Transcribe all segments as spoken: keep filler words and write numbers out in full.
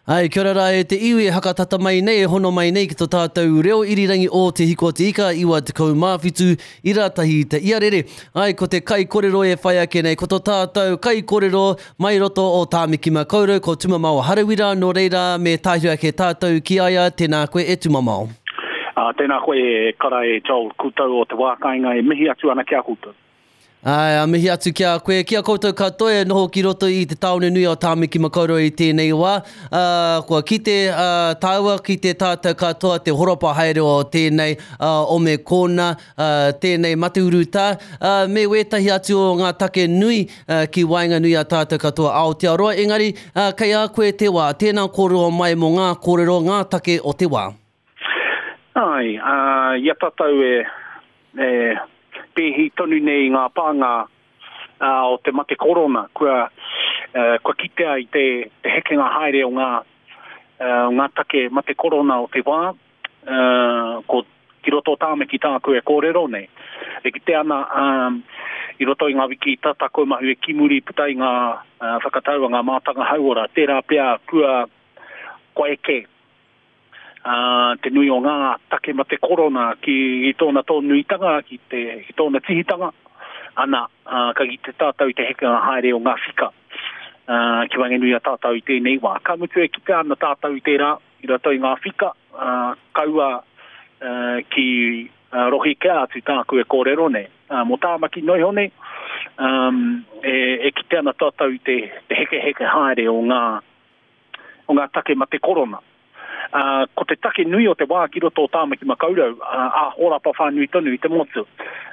Ai, kia ora rā e te iwi e hakatata mai nei, e hono mai nei ki tō tātou reo irirangi o Te Hiko o Te Ika, iwa tekau mā whitu, ira tahi te iarere. Ai, ko te kaikorero e whai ake nei, ko tō tātou kaikorero mai roto o Tāmaki Makaurau, ko Tumamao Harawira, nō reira me tāhiri ake tātou ki a ia, tēnā koe e Tumamao. Uh, tēnā koe e kara e Joel, koutou o te wā kāinga e mihi atu ana ki a koutou. Ai, a mihi atu ki a koe, ki a koutou katoa e noho ki roto i te tāone nui o Tāmaki Makaurau i tēnei wā. Uh, kua kite uh, tāua ki te tātou katoa te horopa haere o tēnei uh, ome kōna, uh, tēnei mate urutā, uh, me wētahi atu o ngā take nui uh, ki waenganui a tātou katoa Aotearoa. Engari, uh, kei a koe te wā, tēnā kōrero mai mō ngā kōrero, ngā take o te wā. Ai, uh, i a tātou e, e pēhi tonu nei ngā pānga uh, o te mate korona, kua, uh, kua kitea i te, te hekenga haere o ngā, uh, ngā take mate korona o te wā, uh, ko ki roto o Tāmaki tāku e kōrero nei. E kite ana um, i roto i ngā wiki tata kua mahu e kimuri puta i ngā uh, whakatau a ngā mātanga hauora, tērā pea kua, kua eke Uh, te nui o ngā take mate korona ki i tōna tōnuitanga, ki, te, ki tōna tihitanga, ana, uh, ka ki te tātou i te hekenga haere o ngā whika uh, ki waenganui a tātou i tēnei wā. Ka mutu e kite ana tātou i tērā, i roto i ngā whika, uh, kaua uh, ki uh, rohi kea atu tāku e kōrero nei. Uh, mō Tāmaki noiho nei, um, e, e kite ana tātou i te, te heke heke haere o ngā, o ngā take mate korona. Uh, ko te take nui o te wā ki roto o Tāmaki Makaurau, uh, a horapa whānui tonu i te motu.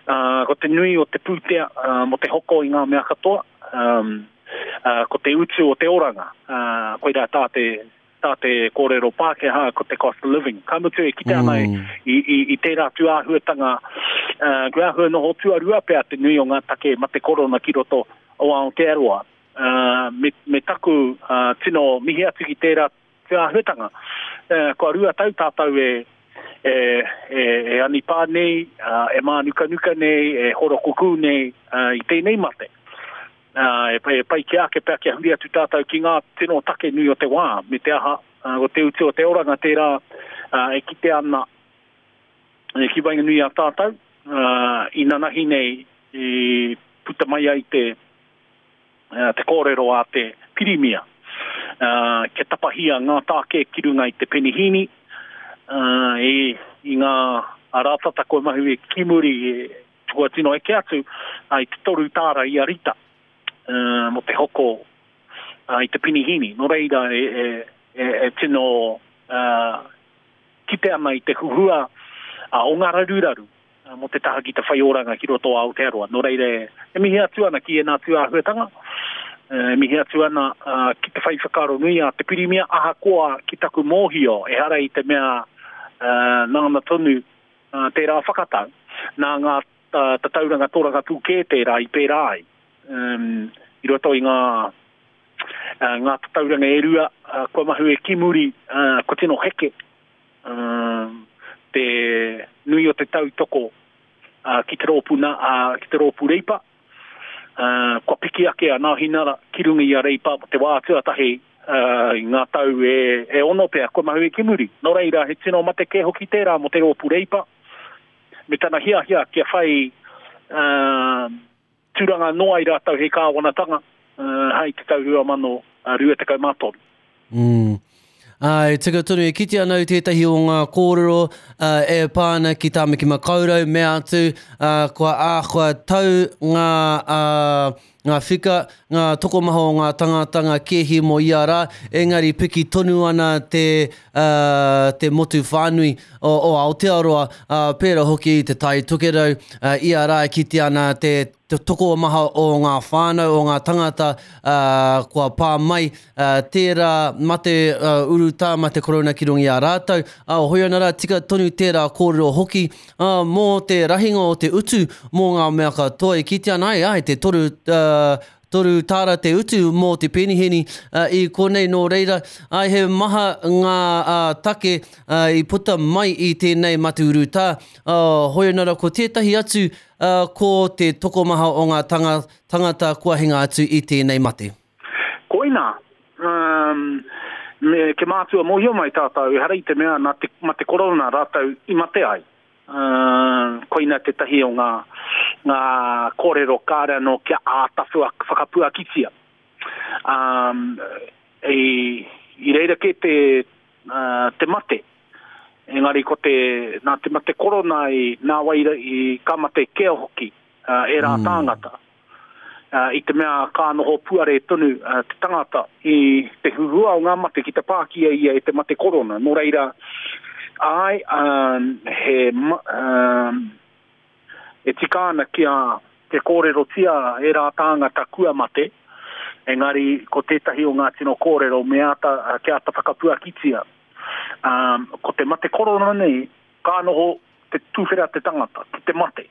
Uh, ko te nui o te pūtea uh, mo te hoko i ngā mea katoa, um, uh, ko te utu o te oranga, uh, koirā tā te, tā te kōrero Pākehā, ko te cost of living. Ka mutu e kite ana mm. i, i, i tērā tūāhuatanga, uh, kua āhua noho tuarua pea te nui o ngā take mate korona ki roto o Aotearoa. Uh, me, me taku uh, tino mihi atu ki tērā tūāhuatanga. Uh, kua rua tau tātou e, e, e, e anipā nei, uh, e mānukanuka nei, e horokukū nei uh, i tēnei mate. Uh, e, e pai ki ake pea kia huri atu tātou ki ngā tino take nui o te wā, me te aha, uh, o te utu o te oranga tērā uh, e kite ana e ki waenganui a tātou, uh, i nanahi nei i puta mai ai te, uh, te kōrero a te pirimia. Uh, kia tapahia ngā tāke ki runga i te penihīni, uh, e, i ngā rātata kua mahu e kimuri e kua tino eke atu uh, i te toru tāra i a rita uh, mo te hoko uh, i te penihīni. Nō reira e, e, e, e tino uh, kite ana i te huhua uh, o ngā raruraru uh, mo te taha ki te whai oranga ki roto Aotearoa. Nō reira e, e mihi atu ana ki ēnā tūāhuatanga. E mihi atu ana uh, ki te whai whakaaro nui a te pirimia, ahakoa ki taku mōhio, ehara i te mea uh, nāna tonu uh, tērā whakatau, nā ngā uh, tatauranga toranga pūkē tērā i pērā ai. Um, i roto i ngā, uh, ngā tatauranga e rua, uh, kua mahu e kimuri, uh, kua tino heke uh, te nui o te tautoko uh, ki te rōpū, na, uh, ki te rōpū Reipa. Uh, kua piki ake a Nāhinara ki runga i a Reipa te wā tuatahi uh, i ngā tau e, e ono pea kua mahu e kimuri. Nō reira, he tino mate kē hoki tērā mō te rōpū Reipa, me tana hiahia kia whai uh, tūranga noa i rātou he kāwanatanga uh, hei te tau rua mano rua tekau mā toru. Mm. Ai, tika tonu, e kite ana i tētahi o ngā kōrero uh, e pā ana ki Tāmaki Makaurau, mea atu, uh, kua āhua tau ngā, uh, ngā whika, ngā tokomaha o ngā tangata, ngā kēhi mō ia rā, engari piki tonu ana te, uh, te motu whānui o, o Aotearoa, uh, pērā hoki te Tai Tokerau, uh, ia rā e kite ana te te tokomaha o ngā whānau, o ngā tangata uh, kua pā mai, uh, tērā mate uh, urutā, mate korona ki runga i a rātou. Uh, hoi ana rā, tika tonu tērā kōrero hoki uh, mō te rahinga o te utu mō ngā mea katoa. E kite ana ai, ai te toru, uh, toru tāra te utu mō te peniheni uh, i konei nō reira. Ai, he maha ngā uh, take uh, i puta mai i tēnei mate urutā. Uh, hoi ana rā, ko tētahi atu Uh, ko te tokomaha o ngā tanga, tangata kua hinga atu i tēnei mate. Koina, um, Me, ke mātua mōhio mai tātou, ehara i te mea nā te mate korona rātou i mate ai. Uh, koina tētahi o ngā, ngā kōrero kāre anō kia āta whakapuakitia. Um, i, i reira kē te, uh, te mate. Engari ko te, nā te mate korona i nā wai i ka mate kē hoki uh, e rā mm. tāngata. Uh, i te mea ka noho puare tonu uh, te tangata i te huhua o ngā mate ki te pākia ia e te mate korona. Nō reira, ai, um, he, um, e tika ana kia te kōrerotia e rā tāngata kua mate, engari ko tētahi o ngā tino kōrero me āta, kia āta whakapuakitia. Um, ko te mate korona nei, ka noho te tūwhera te tangata, ki te mate.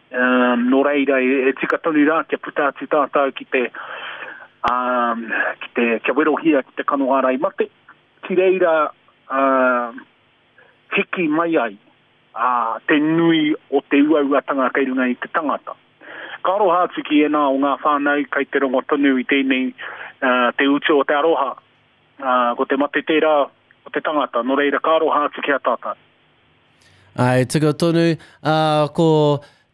Um, nō reira, e, e tika tonu rā kia puta atu tātou ki te, um, ki te kia werohia ki te kano ārai mate. Ki reira, um, hiki mai ai uh, te nui o te uauatanga kei runga i te tangata. Ka aroha atu ki ēnā o ngā whānau kei te rongo tonu i tēnei uh, te utu o te aroha. Uh, ko te mate tērā o te tangata, nō reira ka aroha atu ki a tātou. Ai, tika tonu, uh, ko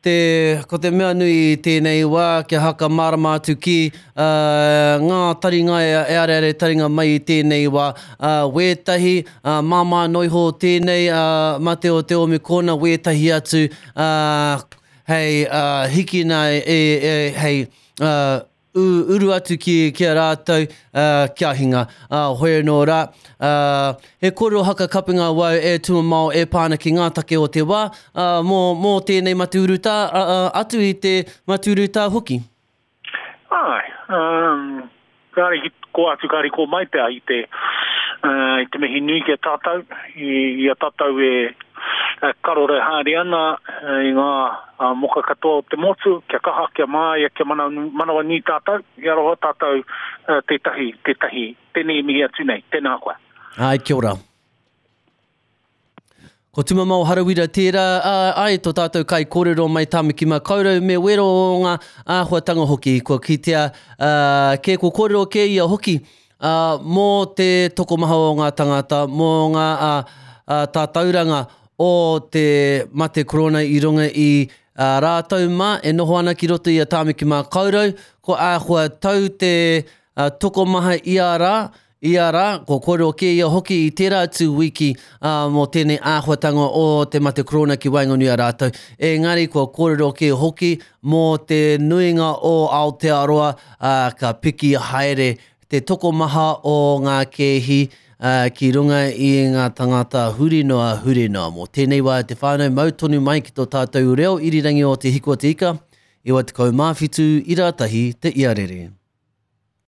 te, ko te mea nui i tēnei wā kia haka mārama atu ki uh, ngā taringa e, e areare taringa mai i tēnei wā. Uh, wētahi, uh, māmā noiho tēnei uh, mate o te omikona, wētahi atu uh, hei uh, hikina e, e, hei uh, uru atu ki, ki a rātou uh, kia hinga. Uh, hoi anō rā. Uh, he kōrero haka kapinga wau e tumamao e pāna ki ngā take o te wā uh, mō, mō tēnei mate urutā, uh, uh, atu i te mate urutā hoki. Ai, um, kāre ki ko atu kāre ko mai pea i te, uh, i te mihi nui ki a tātou, i, i a tātou e karore haere ana i ngā uh, moka katoa o te motu, kia kaha, kia māia, kia mana, manawa nui tātou, i aroha tātou uh, tētahi, tētahi, tēnei mihi atu nei, tēnā koe. Ai, kia ora. Ko Tumamao Harawira tērā, ai tō tātou kai kōrero mai Tāmaki Makaurau me wero o ngā āhuatanga hoki. Kua kitea uh, kē ko kōrero kē ia hoki uh, mō te tokomaha o ngā tangata, mō ngā uh, uh, tātauranga o te mate korona i runga i uh, rātou mā e noho ana ki roto i a Tāmaki Makaurau. Ko āhua tau te uh, tokomaha i a rā, ia rā, ko kōrero kē ia hoki i tērā atu wiki uh, mō tēnei āhuatanga o te mate korona ki waenganui a rātou. Engari kua kōrero kē hoki mō te nuinga o Aotearoa uh, ka piki haere te tokomaha o ngā kēhi uh, ki runga i ngā tangata huri noa, huri noa. Mō tēnei wā te whānau mau tonu mai ki tō tātou reo irirangi o Te Hiku o Te Ika, iwa tekau mā whitu, ira tahi te iarere.